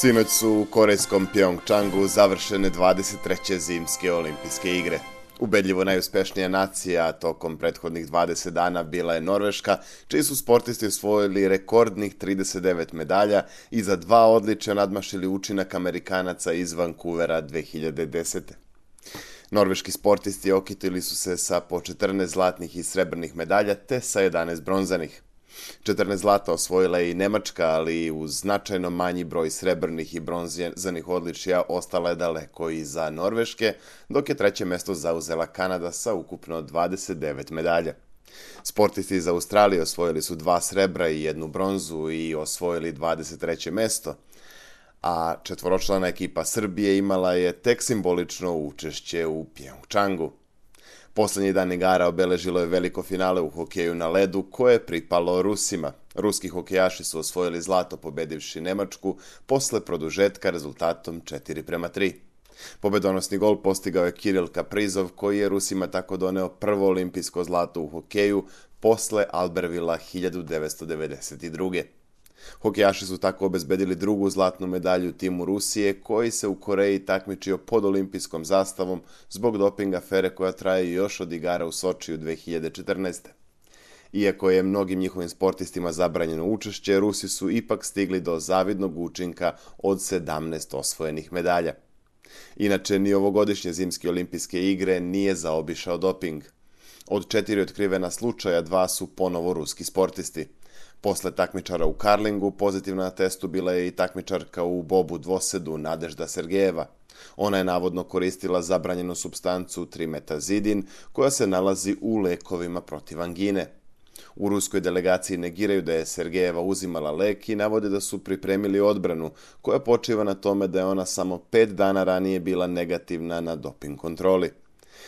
Sinoć su u korejskom Pjongčangu završene 23. zimske olimpijske igre. Ubedljivo najuspešnija nacija tokom prethodnih 20 dana bila je Norveška, čiji su sportisti osvojili rekordnih 39 medalja i za 2 odličja nadmašili učinak Amerikanaca iz Vancouvera 2010. Norveški sportisti okitili su se sa po 14 zlatnih i srebrnih medalja te sa 11 bronzanih. 14 zlata osvojila je i Nemačka, ali uz značajno manji broj srebrnih i bronzanih odličja ostala je daleko iza Norveške, dok je treće mesto zauzela Kanada sa ukupno 29 medalja. Sportisti iz Australije osvojili su 2 srebra i 1 bronzu i osvojili 23. mesto, a četvoročlana ekipa Srbije imala je tek simbolično učešće u Pjongčangu. Poslednji dan igara obeležilo je veliko finale u hokeju na ledu koje je pripalo Rusima. Ruski hokejaši su osvojili zlato pobedivši Nemačku posle produžetka rezultatom 4:3. Pobedonosni gol postigao je Kiril Kaprizov koji je Rusima tako doneo prvo olimpijsko zlato u hokeju posle Albervilla 1992. Hokejaši su tako obezbedili drugu zlatnu medalju timu Rusije, koji se u Koreji takmičio pod olimpijskom zastavom zbog doping afere koja traje još od igara u Sočiju 2014. Iako je mnogim njihovim sportistima zabranjeno učešće, Rusi su ipak stigli do zavidnog učinka od 17 osvojenih medalja. Inače, ni ovogodišnje zimske olimpijske igre nije zaobišao doping. Od 4 otkrivena slučaja 2 su ponovo ruski sportisti. Posle takmičara u karlingu, pozitivna na testu bila je i takmičarka u bobu dvosedu Nadežda Sergejeva. Ona je navodno koristila zabranjenu supstancu trimetazidin, koja se nalazi u lekovima protiv angine. U ruskoj delegaciji negiraju da je Sergejeva uzimala lek i navode da su pripremili odbranu, koja počiva na tome da je ona samo 5 dana ranije bila negativna na doping kontroli.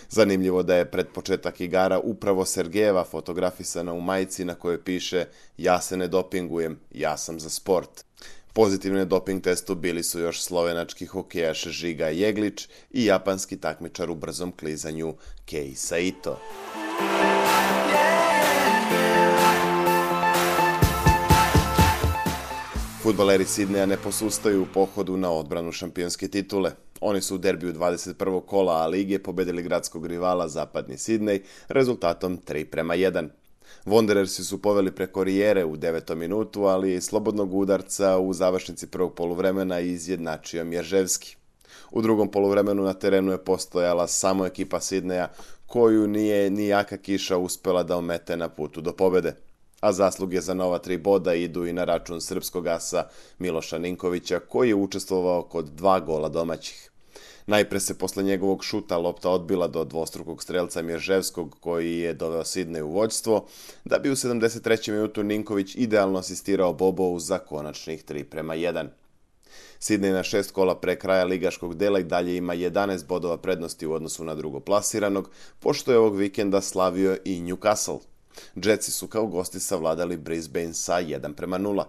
Zanimljivo da je pred početak igara upravo Sergejeva fotografisana u majici na kojoj piše "Ja se ne dopingujem, ja sam za sport". Pozitivne doping testu bili su još slovenački hokejaš Žiga Jeglič i japanski takmičar u brzom klizanju Kei Saito. Fudbaleri Sidneja ne posustaju u pohodu na odbranu šampionske titule. Oni su u derbiju 21. kola A lige pobedili gradskog rivala Zapadni Sidnej rezultatom 3:1. Wanderersi su poveli preko Rijere u 9. minutu, ali iz slobodnog udarca u završnici prvog poluvremena izjednačio Mjerževski. U drugom poluvremenu na terenu je postojala samo ekipa Sidneja, koju nije ni jaka kiša uspela da omete na putu do pobede. A zasluge za nova 3 boda idu i na račun srpskog asa Miloša Ninkovića, koji je učestvovao kod 2 gola domaćih. Najpre se posle njegovog šuta lopta odbila do dvostrukog strelca Mjerževskog, koji je doveo Sidnej u vođstvo, da bi u 73. minutu Ninković idealno asistirao Bobovu za konačnih 3:1. Sidnej na 6 kola pre kraja ligaškog dela i dalje ima 11 bodova prednosti u odnosu na drugoplasiranog, pošto je ovog vikenda slavio i Newcastle. Jetsi su kao gosti savladali Brisbane sa 1:0.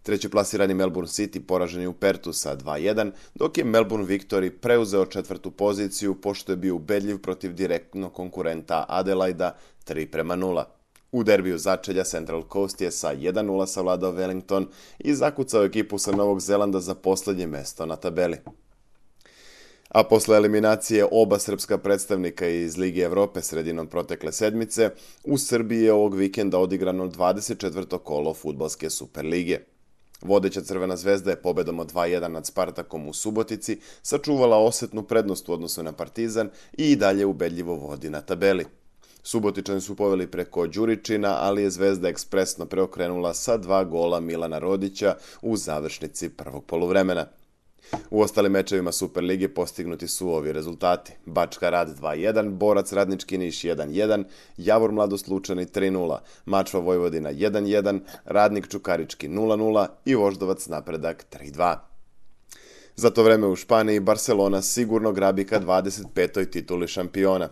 Treći plasirani Melbourne City poražen je u Pertu sa 2:1, dok je Melbourne Victory preuzeo 4. poziciju pošto je bio ubedljiv protiv direktnog konkurenta Adelaida 3:0. U derbiju začelja Central Coast je sa 1:0 savladao Wellington i zakucao ekipu sa Novog Zelanda za poslednje mesto na tabeli. A posle eliminacije oba srpska predstavnika iz Lige Evrope sredinom protekle sedmice, u Srbiji je ovog vikenda odigrano 24. kolo fudbalske Superlige. Vodeća Crvena zvezda je pobedom od 2:1 nad Spartakom u Subotici sačuvala osetnu prednost u odnosu na Partizan i dalje ubedljivo vodi na tabeli. Subotičani su poveli preko Đuričina, ali je Zvezda ekspresno preokrenula sa 2 gola Milana Rodića u završnici prvog poluvremena. U ostalim mečevima Superlige postignuti su ovi rezultati: Bačka Rad 2:1, Borac Radnički Niš 1:1, Javor Mladost Lučani 3:0, Mačva Vojvodina 1:1, Radnik Čukarički 0:0 i Voždovac Napredak 3:2. Za to vreme u Španiji Barcelona sigurno grabi ka 25. tituli šampiona.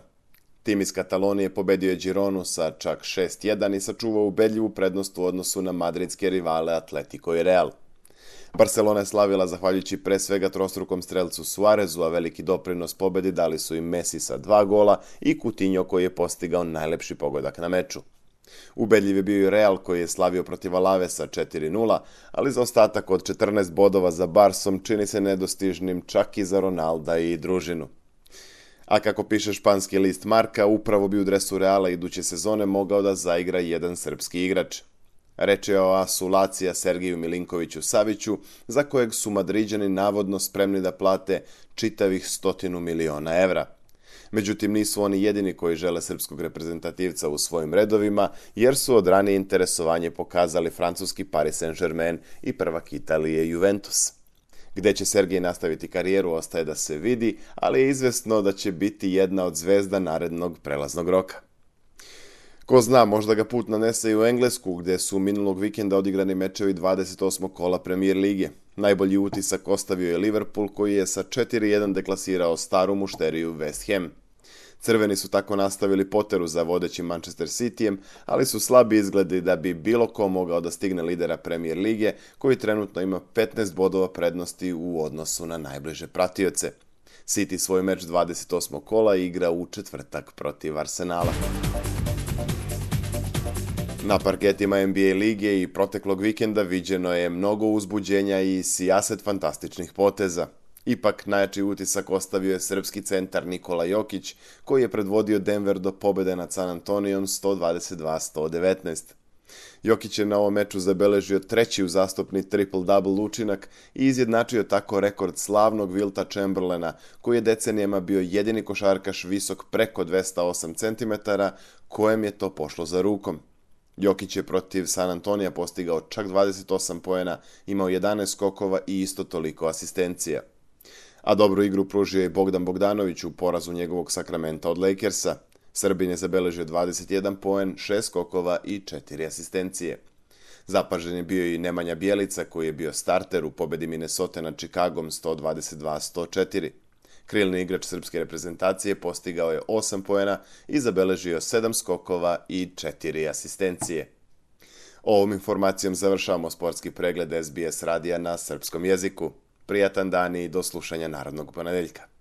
Tim iz Katalonije pobedio je Gironu sa čak 6:1 i sačuvao ubedljivu prednost u odnosu na madridske rivale Atletico i Real. Barcelona je slavila zahvaljujući pre svega trostrukom strelcu Suarezu, a veliki doprinos pobedi dali su im Messi sa 2 gola i Coutinho koji je postigao najlepši pogodak na meču. Ubedljiv je bio i Real koji je slavio protiv Alavesa 4-0, ali zaostatak od 14 bodova za Barsom čini se nedostižnim čak i za Ronalda i družinu. A kako piše španski list Marka, upravo bi u dresu Reala iduće sezone mogao da zaigra jedan srpski igrač. Reč je o asu Lacija Sergiju Milinkoviću Saviću, za kojeg su Madriđani navodno spremni da plate čitavih 100 miliona evra. Međutim, nisu oni jedini koji žele srpskog reprezentativca u svojim redovima, jer su od ranije interesovanje pokazali francuski Paris Saint-Germain i prvak Italije Juventus. Gde će Sergej nastaviti karijeru ostaje da se vidi, ali je izvesno da će biti jedna od zvezda narednog prelaznog roka. Ko zna, možda ga put nanese i u Englesku, gde su minulog vikenda odigrani mečevi 28. kola Premier lige. Najbolji utisak ostavio je Liverpool, koji je sa 4-1 deklasirao staru mušteriju West Ham. Crveni su tako nastavili poteru za vodećim Manchester Cityjem, ali su slabi izgledi da bi bilo ko mogao da stigne lidera Premier lige, koji trenutno ima 15 bodova prednosti u odnosu na najbliže pratioce. City svoj meč 28. kola igra u četvrtak protiv Arsenala. Na parketima NBA lige i proteklog vikenda viđeno je mnogo uzbuđenja i sijaset fantastičnih poteza. Ipak najjači utisak ostavio je srpski centar Nikola Jokić, koji je predvodio Denver do pobede nad San Antonijom 122-119. Jokić je na ovom meču zabeležio treći uzastopni triple-double učinak i izjednačio tako rekord slavnog Wilta Chamberlaina, koji je decenijama bio jedini košarkaš visok preko 208 cm, kojem je to pošlo za rukom. Jokić je protiv San Antonija postigao čak 28 poena, imao 11 skokova i isto toliko asistencija. A dobru igru pružio je Bogdan Bogdanović u porazu njegovog Sakramenta od Lakersa. Srbin je zabeležio 21 poen, 6 skokova i 4 asistencije. Zapažen je bio i Nemanja Bjelica, koji je bio starter u pobedi Minnesota nad Chicagom 122-104. Krilni igrač srpske reprezentacije postigao je 8 poena i zabeležio 7 skokova i 4 asistencije. Ovom informacijom završavamo sportski pregled SBS radija na srpskom jeziku. Prijatan dan i do slušanja narednog ponedeljka.